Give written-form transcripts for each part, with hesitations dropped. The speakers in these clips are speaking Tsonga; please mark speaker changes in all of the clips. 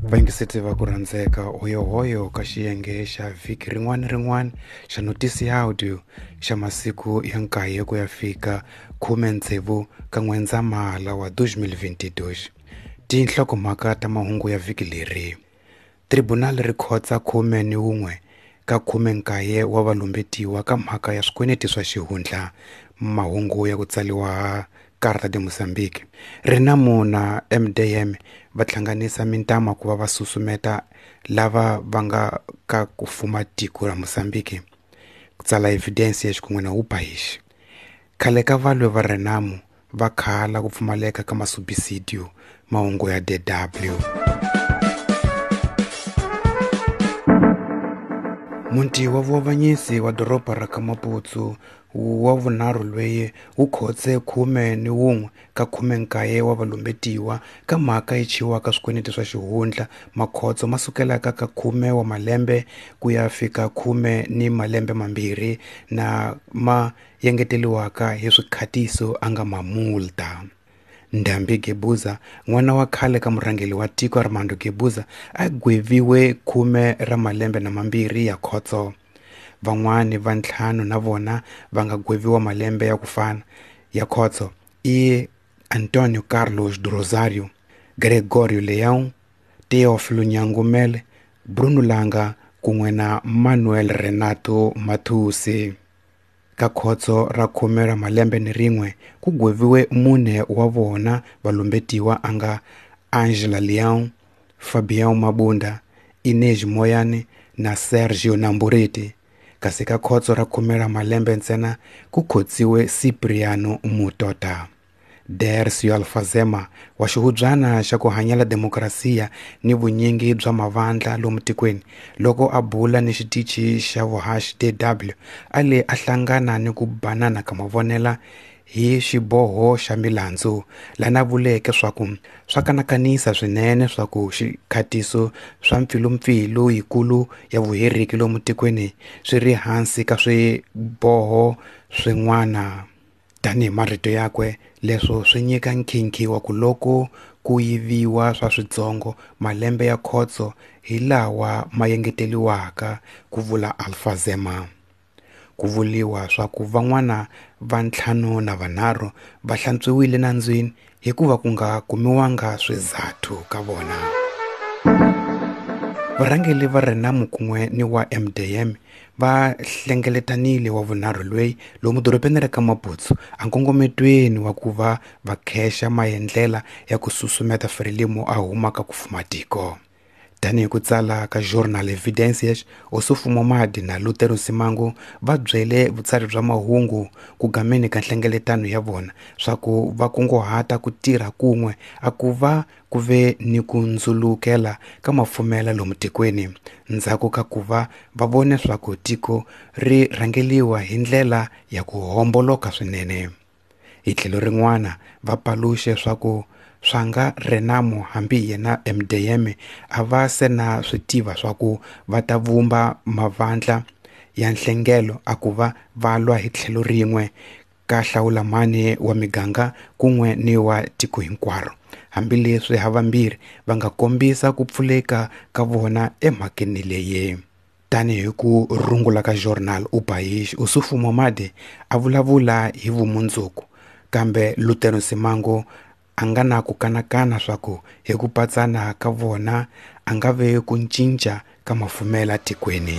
Speaker 1: Vayingiseti va ku rhandzeka hoyohoyo ka xiyenge xa vhiki rin'wana ni rin'wana xa notisi ya audio xa masiku ya nkaye ku ya fika 16 ka N'wendzamhala wa 2022. Tinhlokomhaka ta mahungu ya vhiki leri. Tribunal ri khotsa 11 ka 19 wa valumbetiwa ka mhaka ya swikweleti swa xihundla. Mahungu ya ku tsariwa Carta de Mozambique. Renamo na MDM va hlanganisa mintama ku va va susumeta lava va nga ka ku fuma tiko ra Mozambique ku tsala Evidências xikun'we na O País. Khale ka valwi va Renamo va khala ku pfumaleka ka masubisidio mahungu ya DW. Muti wa vuavanyisi wa doroba ra ka Maputo wa vunharhu loyi wu khotse 11 ka 19 wa valumbetiwa ka mhaka yi chiwaka swikweleti swa xihundla makhotso ma sukelaka ka 10 wa malembe ku ya fika 10 ni malembe mambirhi na ma yengeteliwaka hi swikhatiso a nga mamulta. Ndambi Gebuza, n'wana wa khale ka murhangeri wa tiko Armando Gebuza, a gweviwe 10 ra malembe na mambirhi ya khotso. Van'wani va ntlhanu na vona va nga gweviwa malembe ya ku fana ya khotso i Antonio Carlos do Rosario, Gregorio Leão, Teófilo Nhangumele, Bruno Langa kun'we na Manuel Renato Matusi. Ka khotso ra 10 ra malembe ni rin'we ku gweviwe mune wa vona valumbetiwa a nga Angela Leão, Fabião Mabunda, Inês Moyane na Sergio Namburete. Kasi ka khotso ra 10 ra malembe ntsena ku khotsiwe Cipriano Mutota. Dercio Alfazema wa xihubyana xa ku hanyela demokrasiya ni vunyingi bya mavandla lomu tikweni loko a bula ni xitichi xa vuhaxi DW a le a hlangana ni ku banana ka mavonela hi xiboho xa milandzu lana vuleke swa ku swa kanakanisa swinene swa ku xikhatiso swa mpfilumpfilu yikulu ya vuheriki lomu tikweni swi ri hansi ka swiboho swin'wana. Tanihi marito yakwe leswo swi nyika nkhinkhi wa ku loko ku yiviwa swa switsongo malembe ya khotso hi lawa ma yengeteliwaka ku vula Alfazema. Ku vuliwa swa ku van'wana va 5 na 3 va hlantswiwile nandzwini hikuva ku nga kumiwanga swizathu ka vona. Varhangeri va Renamo kun'we ni wa MDM va hlengeletanile wa vunharhu loyi lomu dorobeni ra ka Maputo a nkongometweni wa ku va va khexa maendlela ya ku susumeta Frelimo a humaka ku fuma tiko. Tanihi ku tsala ka Jornal Evidências, Ossufo Momade na Lutero Simango va byele vutsari bya mahungu ku gameni ka nhlengeletano ya vona swa ku va kunguhata ku tirha kun'we a ku va ku ve ni ku ndzulukela ka mafumela lomu tikweni ndzhaku ka ku va va vone swa ku tiko ri rhangeliwa hi ndlela ya ku homboloka swinene. Hi tlhelo rin'wana va paluxe swa ku swa nga Renamo hambi yena MDM a va se na swi tiva swa ku va ta vumba mavandla ya nhlengelo a ku va va lwa hi tlhelo rin'we ka hlawulamani wa miganga kun'we ni wa tiko hinkwaro, hambileswi havambirhi va nga kombisa ku pfuleka ka vona emhakeni leyi. Tanihi ku rungula ka Jornal O País, Ossufo Momade a vulavula hi vumundzuku, kambe Lutero Simango a nga na ku kanakana swa ku hi ku patsana ka vona a nga ve ku cinca ka mafumela tikweni.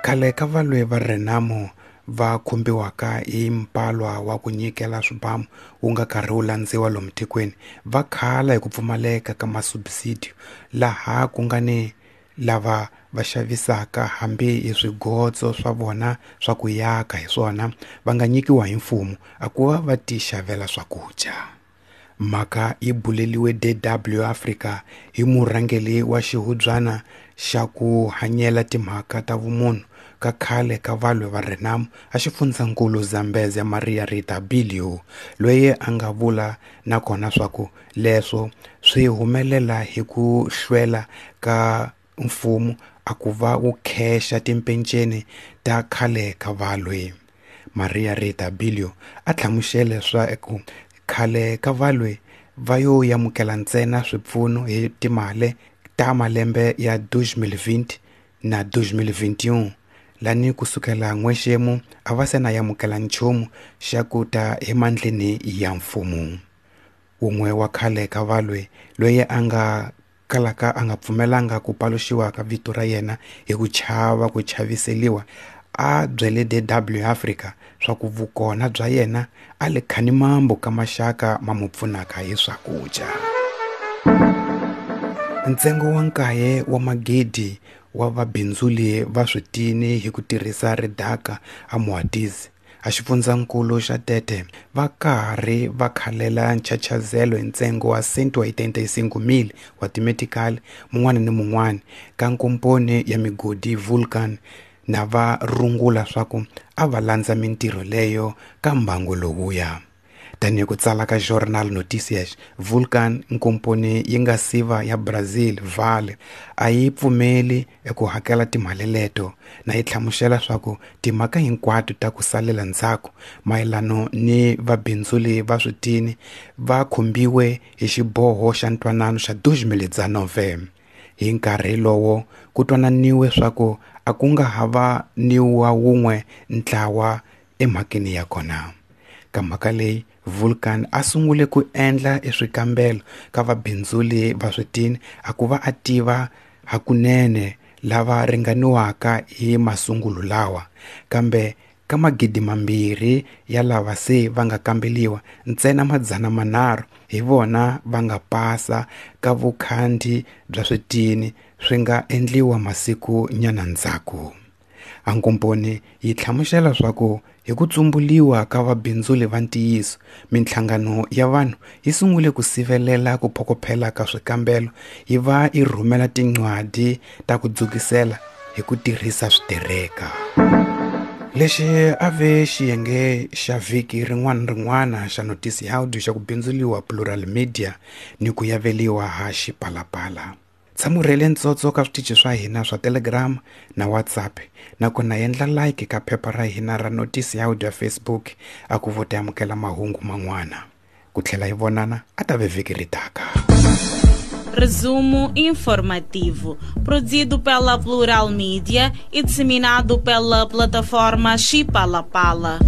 Speaker 1: Khale ka valwi va Renamo va khumbiwaka hi mpalwa wa ku nyikela swibamu wu nga karhi wu landziwa lomu tikweni va khala hi ku pfumaleka ka masubsidio laha ku nga ni lava va xavisaka hambi hi swigotso swa vona swa ku yaka hi swona va nga nyikiwa hi mfumo a ku va va ti xavela swakudya. Mhaka yi buleliwe DW Africa hi murhangeri wa xihubyana xa ku hanyela timhaka ta vumunhu ka khale ka valwi va Renamo a xifundzankulu Zambezia Maria Rita Bilio loyi a nga vula nakona swa ku leswo swi humelela hi ku hlwela ka mfumo a ku va wu khexa timpenceni ta khale ka valwi. Maria Rita Bilio a hlamusele swa ku khale ka valwi va yo yamukela ntsena swipfuno hi timali ta malembe ya 2020 na 2021 lani kusukela n'wexemu a va se na yamukela nchumu xa ku ta emandleni ya mfumo. Wun'we wa khale ka valwe loyi a nga kalaka a nga pfumelanga ku paluxiwa ka vito ra yena hi ku chava ku chaviseliwa a byele DW Africa swa ku vukona bya yena a le khanimambu ka maxaka ma mu pfunaka hi swakudya. Ntsengo wa 9 wa magidi wa vabindzuli va switini hi ku tirhisa ridaka a Moatize a xifundzankulu xa Tete va karhi va khalela nchachazelo hi ntsengo wa 185,000 wa timetikali mun'wana ni mun'wana ka nkomponi ya migodi Vulcan na va rungula swa ku a va landza mintirho leyo ka mbangu lowuya. Tanihi ku tsala ka Jornal Noticias, Vulcan nkomponi yi nga siva ya Brazil Vale a yi pfumeli eku hakela timali leto na yi hlamusela swa ku timhaka hinkwato ta ku salela ndzhaku mayelano ni vabindzuli va switini va khumbiwe hi xiboho xa ntwanano xa 2019. Hi nkarhi lowo ku twananiwe swa ku a ku nga ha va ni wa wun'we ntlawa emhakeni ya kona. Ka mhaka leyi Vulcan a sungule ku endla eswikambelo ka vabindzuli va switini a ku va a tiva hakunene lava ringaniwaka hi masungulo lawa, kambe ka 2,000 ya lava se va nga kambeliwa ntsena 300 hi vona va nga pasa ka vukhandi bya switini swi nga endliwa masiku nyana ndzhaku. Ankomponi yi hlamusela swa ku hi ku tsumbuliwa ka vabindzuli va ntiyiso minhlangano ya vanhu yi sungule ku sivelela ku phokophela ka swikambelo yi va yi rhumela tincwadi ta ku dzukisela hi ku tirhisa switereka. Lexi a ve xiyenge xa vhiki rin'wana na rin'wana xa Noticiáudio xa ku bindzuliwa Plural Media ni ku yaveliwa ha Xipalapala. Tshamurhele ntsotso ka switichi swa hina swa Telegram na WhatsApp nakona endla like ka phepha ra hina ra Noticiáudio ya Facebook a ku vo ta amukela mahungu man'wana. Ku tlhela hi vonana a ta ve vhiki ri taka.
Speaker 2: Resumo informativo, produzido pela Plural Mídia e disseminado pela plataforma Xipalapala.